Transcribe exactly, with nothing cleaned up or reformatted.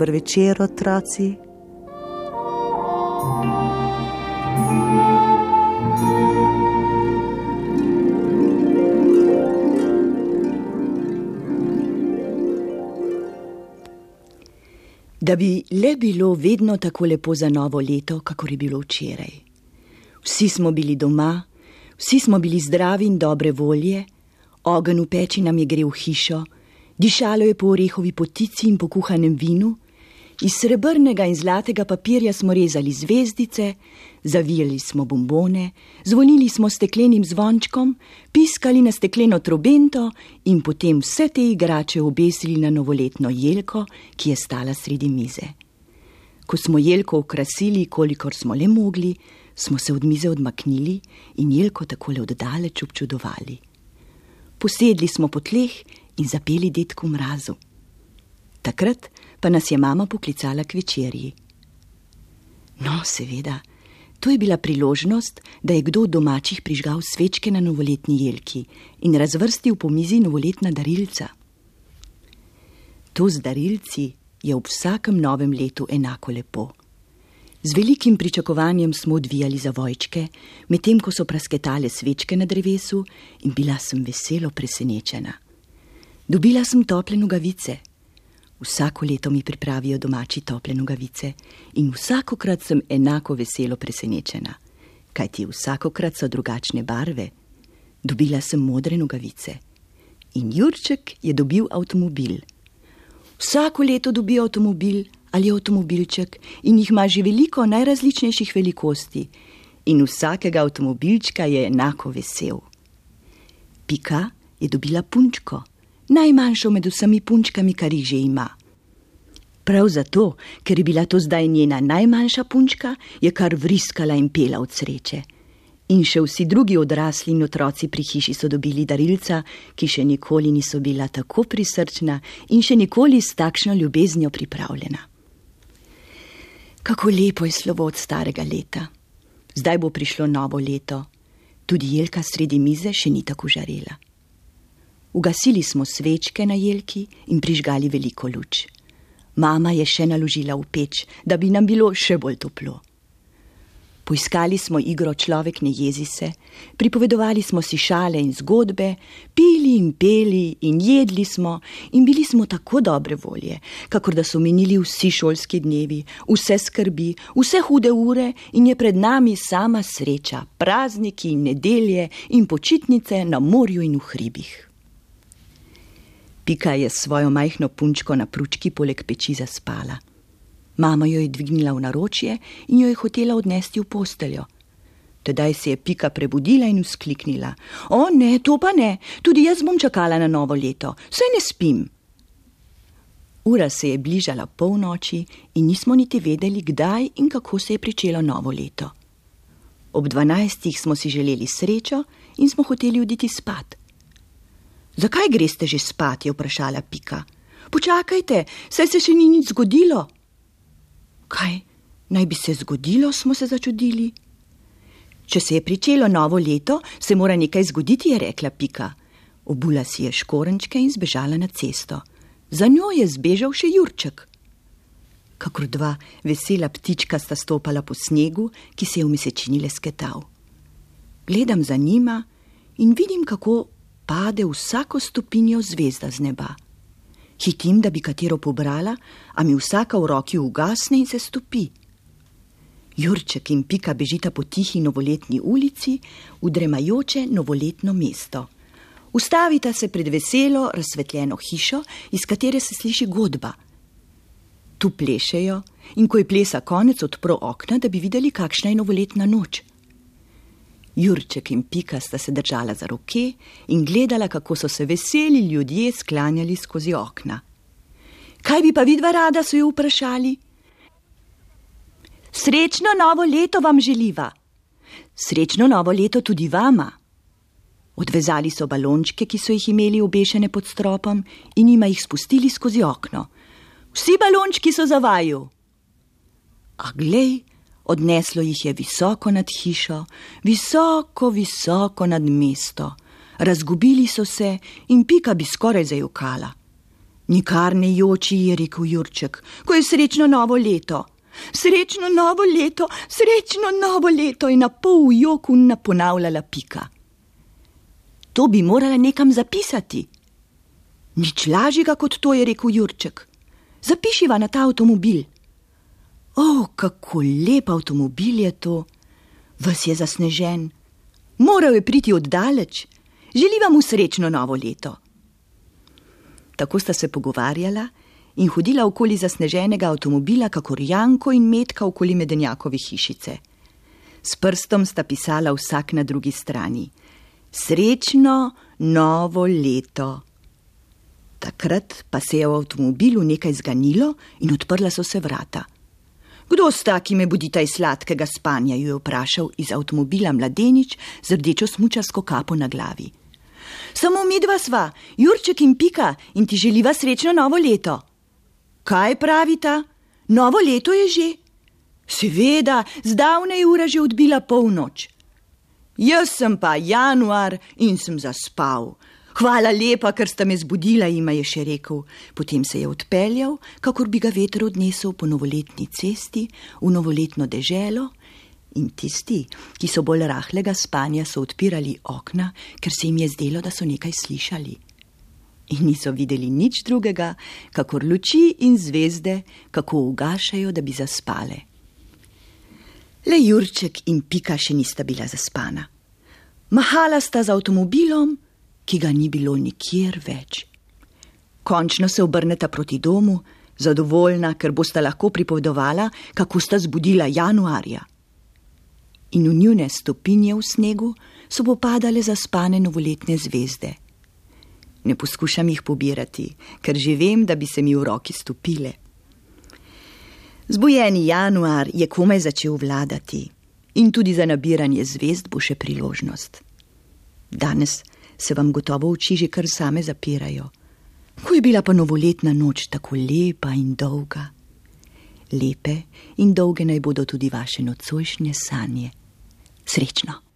Dober večer, otroci. Da bi le bilo vedno tako lepo za novo leto, kakor je bilo včeraj. Vsi smo bili doma, vsi smo bili zdravi in dobre volje, ogenj v peči nam je grel hišo, dišalo je po orehovi potici in po kuhanem vinu, iz srebrnega in zlatega papirja smo rezali zvezdice, zavijali smo bombone, zvonili smo steklenim zvončkom, piskali na stekleno trobento in potem vse te igrače obesili na novoletno jelko, ki je stala sredi mize. Ko smo jelko okrasili, kolikor smo le mogli, smo se od mize odmaknili in jelko takole oddaleč občudovali. Posedli smo po tleh in zapeli Dedku Mrazu. Takrat pa nas je mama poklicala k večerji. No, seveda, to je bila priložnost, da je kdo od domačih prižgal svečke na novoletni jelki in razvrstil po mizi novoletna darilca. To z darilci je ob vsakem novem letu enako lepo. Z velikim pričakovanjem smo odvijali zavojčke, medtem ko so prasketale svečke na drevesu, in bila sem veselo presenečena. Dobila sem tople nogavice. Vsako leto mi pripravijo domači tople nogavice in vsakokrat sem enako veselo presenečena, kajti vsakokrat so drugačne barve. Dobila sem modre nogavice in Jurček je dobil avtomobil. Vsako leto dobi avtomobil ali avtomobilček in jih ima že veliko najrazličnejših velikosti in vsakega avtomobilčka je enako vesel. Pika je dobila punčko, najmanjšo med vsemi punčkami, kar jih že ima. Prav zato, ker je bila to zdaj njena najmanjša punčka, je kar vriskala in pela od sreče. In še vsi drugi odrasli in otroci pri hiši so dobili darilca, ki še nikoli niso bila tako prisrčna in še nikoli s takšno ljubeznijo pripravljena. Kako lepo je slovo od starega leta. Zdaj bo prišlo novo leto. Tudi jelka sredi mize še ni tako žarela. Ugasili smo svečke na jelki in prižgali veliko luč. Mama je še naložila v peč, da bi nam bilo še bolj toplo. Poiskali smo igro Človek ne jezi se, pripovedovali smo si šale in zgodbe, pili in peli in jedli smo in bili smo tako dobre volje, kakor da so minili vsi šolski dnevi, vse skrbi, vse hude ure in je pred nami sama sreča, prazniki in nedelje in počitnice na morju in v hribih. Pika je s svojo majhno punčko na pručki poleg peči zaspala. Mama jo je dvignila v naročje in jo je hotela odnesti v posteljo. Tedaj se je Pika prebudila in vzkliknila: O ne, to pa ne, tudi jaz bom čakala na novo leto, saj ne spim. Ura se je bližala polnoči in nismo niti vedeli, kdaj in kako se je pričelo novo leto. Ob dvanajstih smo si želeli srečo in smo hoteli oditi spat. Zakaj greste že spat, je vprašala Pika. Počakajte, saj se še ni nič zgodilo. Kaj naj bi se zgodilo, smo se začudili. Če se je pričelo novo leto, se mora nekaj zgoditi, je rekla Pika. Obula si je škorenčke in zbežala na cesto. Za njo je zbežal še Jurček. Kakor dva vesela ptička sta stopala po snegu, ki se je v mesečini lesketal. Gledam za njima in vidim, kako pade vsako stopinjo zvezda z neba. Hitim, da bi katero pobrala, a mi vsaka v roki ugasne in se stopi. Jurček in Pika bežita po tihi novoletni ulici v dremajoče novoletno mesto. Ustavita se pred veselo razsvetljeno hišo, iz katere se sliši godba. Tu plešejo in ko je plesa konec, odpro okna, da bi videli, kakšna je novoletna noč. Jurček in Pika sta se držala za roke in gledala, kako so se veseli ljudje sklanjali skozi okna. Kaj bi pa vidva rada, so jo vprašali. Srečno novo leto vam želiva. Srečno novo leto tudi vama. Odvezali so balončke, ki so jih imeli obešene pod stropom, in jima jih spustili skozi okno. Vsi balončki so za vaju. A glej, odneslo jih je visoko nad hišo, visoko, visoko nad mesto. Razgubili so se in Pika bi skoraj zajokala. Nikar ne joči, je rekel Jurček, ko je srečno novo leto. Srečno novo leto, srečno novo leto, je na pol v joku ponavljala Pika. To bi morala nekam zapisati. Nič lažjega kot to, je rekel Jurček. Zapišiva na ta avtomobil. O, kako lep avtomobil je to. Ves je zasnežen. Moral je priti oddaleč. Želiva mu srečno novo leto. Tako sta se pogovarjala in hodila okoli zasneženega avtomobila, kakor Janko in Metka okoli Medenjakove hišice. S prstom sta pisala vsak na drugi strani. Srečno novo leto. Takrat pa se je v avtomobilu nekaj zganilo in odprla so se vrata. Kdo sta, ki me budita iz sladkega spanja, ju je vprašal iz avtomobila mladenič z rdečo smučarsko kapo na glavi. Samo midva sva, Jurček in Pika, in ti želiva srečno novo leto. Kaj pravita? Novo leto je že? Seveda, zdavnaj ura že odbila polnoč. Jaz sem pa januar in sem zaspal. Hvala lepa, ker sta me zbudila, jima je še rekel. Potem se je odpeljal, kakor bi ga veter odnesel po novoletni cesti v novoletno deželo, in tisti, ki so bolj rahlega spanja, so odpirali okna, ker se jim je zdelo, da so nekaj slišali. In niso videli nič drugega, kakor luči in zvezde, kako ugašajo, da bi zaspale. Le Jurček in Pika še nista bila zaspana. Mahala sta z avtomobilom, ki ga ni bilo nikjer več. Končno se obrneta proti domu, zadovoljna, ker bosta lahko pripovedovala, kako sta zbudila januarja. In v njune stopinje v snegu so popadale zaspane novoletne zvezde. Ne poskušam jih pobirati, ker že vem, da bi se mi v roki stopile. Zbujeni januar je komaj začel vladati in tudi za nabiranje zvezd bo še priložnost. Danes se vam gotovo oči že kar same zapirajo. Ko je bila pa novoletna noč tako lepa in dolga. Lepe in dolge naj bodo tudi vaše nocojšnje sanje. Srečno!